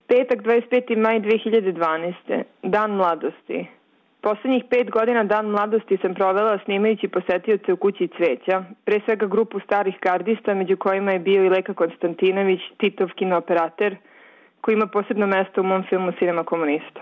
Petak, 25. maj 2012. Dan mladosti. Poslednjih 5 godina Dan mladosti sam provela snimajući posetioce u kući cveća, pre svega grupu starih gardista, među kojima je bio i Leka Konstantinović, Titov kinooperater, koji ima posebno mesto u mom filmu Cinema komunista.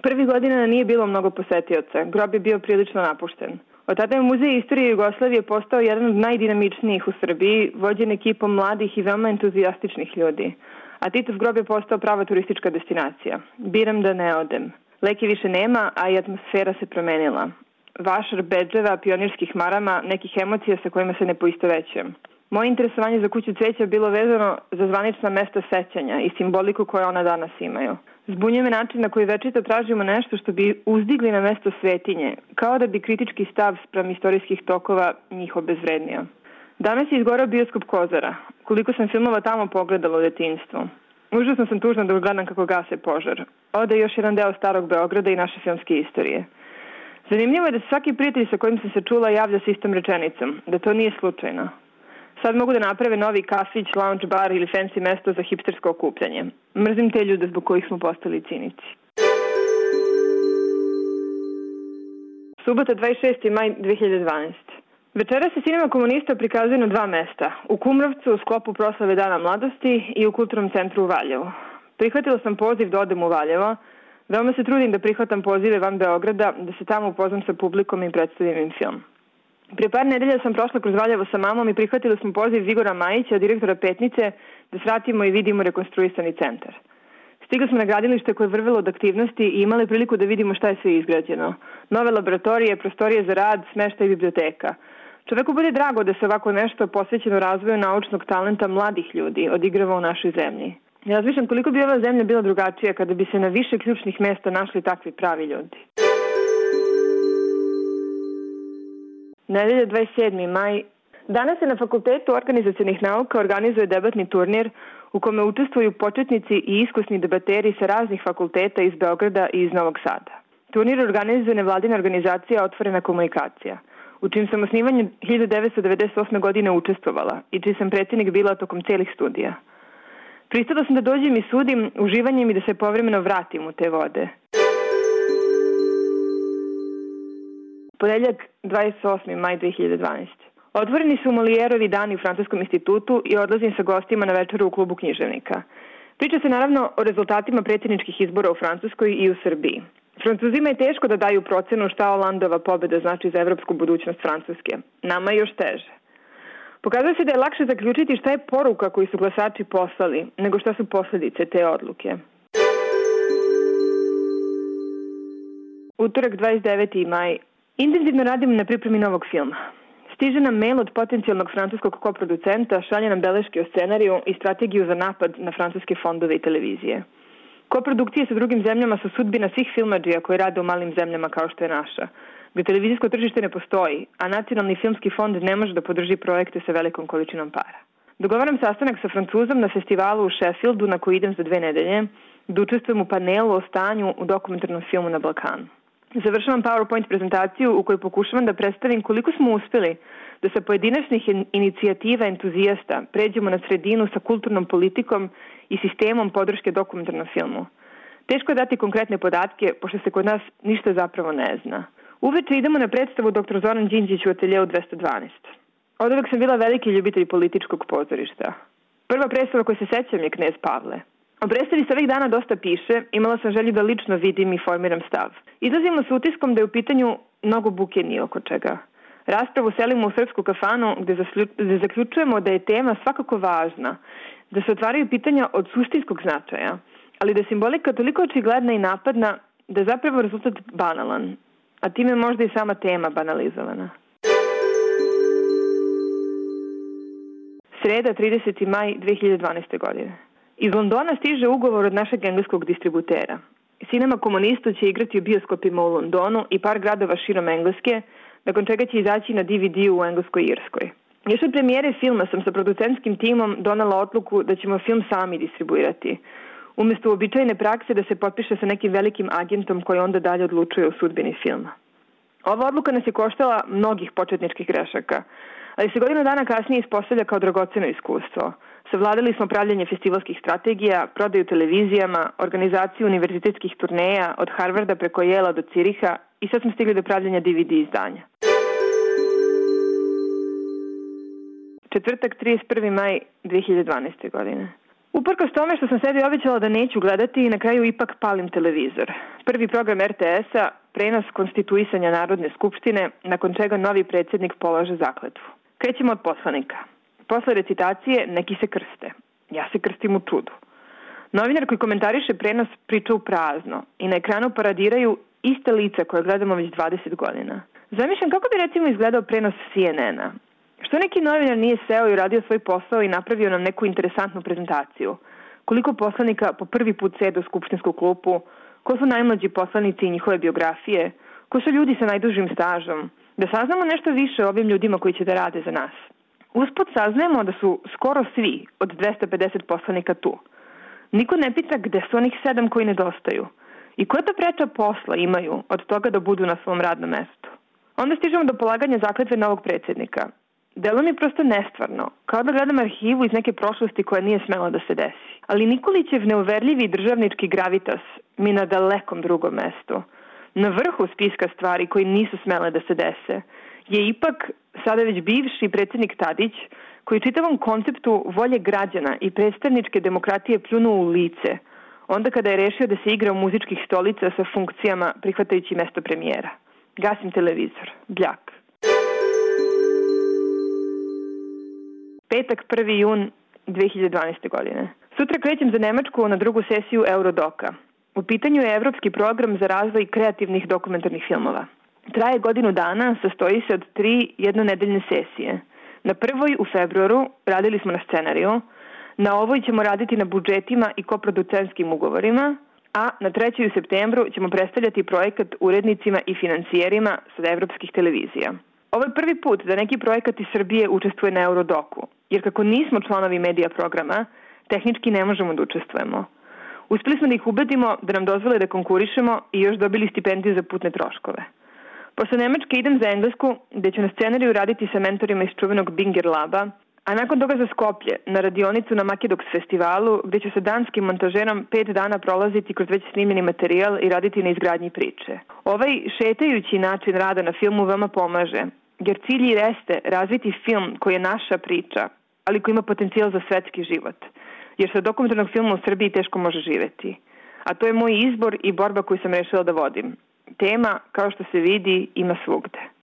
Prvih godina nije bilo mnogo posetioca, grob je bio prilično napušten. Od tada je Muzej istorije Jugoslavije postao jedan od najdinamičnijih u Srbiji, vođen ekipom mladih i veoma entuzijastičnih ljudi. A Titov grob je postao prava turistička destinacija. Biram da ne odem. Leke više nema, a i atmosfera se promenila. Vašar bedževa, pionirskih marama, nekih emocija sa kojima se ne poistovećujem. Moje interesovanje za kuću cveća bilo vezano za zvanična mesta sećanja i simboliku koje ona danas imaju. Zbunjuje me način na koji večito tražimo nešto što bi uzdigli na mesto svetinje, kao da bi kritički stav spram istorijskih tokova njih obezvrednio. Danas je izgorao bioskop Kozara. Koliko sam filmova tamo pogledala u detinjstvu. Užasno sam tužna da gledam kako gase požar. Ode još jedan deo starog Beograda i naše filmske istorije. Zanimljivo je da se svaki prijatelj sa kojim sam se čula javlja s istom rečenicom, da to nije slučajno. Sad mogu da naprave novi kafić, lounge bar ili fancy mesto za hipstersko okupljanje. Mrzim te ljude zbog kojih smo postali cinici. Subota, 26. maj 2012. Večera se Cinema komunista prikazuje na 2 mesta. U Kumrovcu u sklopu proslave Dana mladosti i u Kulturnom centru u Valjevu. Prihvatila sam poziv da odem u Valjevo. Veoma se trudim da prihvatam pozive van Beograda, da se tamo upoznam sa publikom i predstavim im film. Prije par nedelja sam prošla kroz Valjevo sa mamom i prihvatili smo poziv Igora Majića, direktora Petnice, da svratimo i vidimo rekonstruisani centar. Stigli smo na gradilište koje je vrvelo od aktivnosti i imali priliku da vidimo šta je sve izgrađeno. Nove laboratorije, prostorije za rad, smeštaj i biblioteka. Čoveku bude drago da se ovako nešto posvećeno razvoju naučnog talenta mladih ljudi odigrava u našoj zemlji. Ja razmišljam koliko bi ova zemlja bila drugačija kada bi se na više ključnih mesta našli takvi pravi ljudi. Nedelja, 27. maj. Danas se na Fakultetu organizacionih nauka organizuje debatni turnir u kome učestvuju početnici i iskusni debateri sa raznih fakulteta iz Beograda i iz Novog Sada. Turnir organizuje nevladina organizacija Otvorena komunikacija, u čim sam osnivanju 1998. godine učestvovala i čiji sam predsjednik bila tokom celih studija. Pristala sam da dođem i sudim uživanjem i da se povremeno vratim u te vode. Ponedeljak, 28. maj 2012. Otvoreni su Molijerovi dani u Francuskom institutu i odlazim sa gostima na večeru u klubu književnika. Priča se naravno o rezultatima predsjedničkih izbora u Francuskoj i u Srbiji. Francuzima je teško da daju procenu šta Holandova pobjeda znači za evropsku budućnost Francuske. Nama je još teže. Pokazuje se da je lakše zaključiti šta je poruka koju su glasači poslali, nego šta su posljedice te odluke. Utorak, 29. maj. Intenzivno radim na pripremi novog filma. Stiže nam mail od potencijalnog francuskog koproducenta, šalje nam beleške o scenariju i strategiju za napad na francuske fondove i televizije. Koprodukcije sa drugim zemljama su sudbina svih filmadžija koji rade u malim zemljama kao što je naša, gde televizijsko tržište ne postoji, a Nacionalni filmski fond ne može da podrži projekte sa velikom količinom para. Dogovaram sastanak sa Francuzom na festivalu u Sheffieldu na koji idem za 2 nedelje, da učestvujem u panelu o stanju u dokumentarnom filmu na Balkanu. Završavam PowerPoint prezentaciju u kojoj pokušavam da predstavim koliko smo uspeli da sa pojedinačnih inicijativa entuzijasta pređemo na sredinu sa kulturnom politikom i sistemom podrške dokumentarnom filmu. Teško je dati konkretne podatke, pošto se kod nas ništa zapravo ne zna. Uveče idemo na predstavu dr. Zoran Đinđić u ateljeu 212. Od uvek sam bila veliki ljubitelj političkog pozorišta. Prva predstava koju se sećam je Knez Pavle. O predstavi se ovih dana dosta piše, imala sam želju da lično vidim i formiram stav. Izlazimo s utiskom da je u pitanju mnogo buke ni oko čega. Raspravu selimo u srpsku kafanu gde zaključujemo da je tema svakako važna, da se otvaraju pitanja od suštinskog značaja, ali da je simbolika toliko očigledna i napadna da je zapravo rezultat banalan, a time možda i sama tema banalizovana. Sreda, 30. maj 2012. godine. Iz Londona stiže ugovor od našeg engleskog distributera. Cinema komunista će igrati u bioskopima u Londonu i par gradova širom Engleske, nakon čega će izaći na DVD-u u Engleskoj i Irskoj. Još od premijere filma sam sa producentskim timom donela odluku da ćemo film sami distribuirati, umjesto uobičajene prakse da se potpiše sa nekim velikim agentom koji onda dalje odlučuje o sudbini filma. Ova odluka nas je koštala mnogih početničkih grešaka, ali se godinu dana kasnije ispostavlja kao dragoceno iskustvo. Savladali smo pravljanje festivalskih strategija, prodaju televizijama, organizaciju univerzitetskih turneja od Harvarda preko Yela do Ciriha i sad smo stigli do pravljanja DVD izdanja. Četvrtak, 31. maj 2012. godine. Uprkos tome što sam sebi obećala da neću gledati, na kraju ipak palim televizor. Prvi program RTS-a, prenos konstituisanja Narodne skupštine, nakon čega novi predsjednik polaže zakletvu. Krećemo od poslanika. Posle recitacije neki se krste. Ja se krstim u čudu. Novinar koji komentariše prenos priča u prazno i na ekranu paradiraju iste lica koje gledamo već 20 godina. Zamišljam kako bi recimo izgledao prenos CNN-a. Što neki novinar nije seo i uradio svoj posao i napravio nam neku interesantnu prezentaciju? Koliko poslanika po prvi put sede u skupštinsku klupu? Ko su najmlađi poslanici i njihove biografije? Ko su ljudi sa najdužim stažom? Da saznamo nešto više o ovim ljudima koji će da rade za nas. Usput saznajemo da su skoro svi od 250 poslanika tu. Niko ne pita gde su onih 7 koji nedostaju. I koja to preča posla imaju od toga da budu na svom radnom mestu? Onda stižemo do polaganja zakletve novog predsjednika. Delo mi prosto nestvarno, kao da gledam arhivu iz neke prošlosti koja nije smela da se desi. Ali Nikolićev neuverljivi državnički gravitas mi na dalekom drugom mestu, na vrhu spiska stvari koji nisu smele da se dese, je ipak sada već bivši predsjednik Tadić, koji čitavom konceptu volje građana i predstavničke demokratije pljunuo u lice, onda kada je rešio da se igra u muzičkih stolica sa funkcijama prihvatajući mesto premijera. Gasim televizor. Bljak. Petak, 1. jun 2012. godine. Sutra krećem za Nemačku na drugu sesiju Eurodoka. U pitanju je evropski program za razvoj kreativnih dokumentarnih filmova. Traje godinu dana, sastoji se od 3 jednonedeljne sesije. Na prvoj u februaru radili smo na scenariju, na ovoj ćemo raditi na budžetima i koproducentskim ugovorima, a na 3. u septembru ćemo predstavljati projekat urednicima i financijerima sa evropskih televizija. Ovo je prvi put da neki projekat iz Srbije učestvuje na Eurodoku, jer kako nismo članovi medija programa, tehnički ne možemo da učestvujemo. Uspeli smo da ih ubedimo da nam dozvole da konkurišemo i još dobili stipendiju za putne troškove. Posle Nemačke idem za Englesku, gde ću na scenariju raditi sa mentorima iz čuvenog Binger Laba, a nakon toga za Skoplje, na radionicu na Makedoks festivalu, gde ću sa danskim montažerom 5 dana prolaziti kroz već snimljeni materijal i raditi na izgradnji priče. Ovaj šetajući način rada na filmu veoma pomaže, jer cilj jeste razviti film koji je naša priča, ali koji ima potencijal za svetski život. Jer sa dokumentarnog filma u Srbiji teško može živeti. A to je moj izbor i borba koju sam rešila da vodim. Tema, kao što se vidi, ima svugde.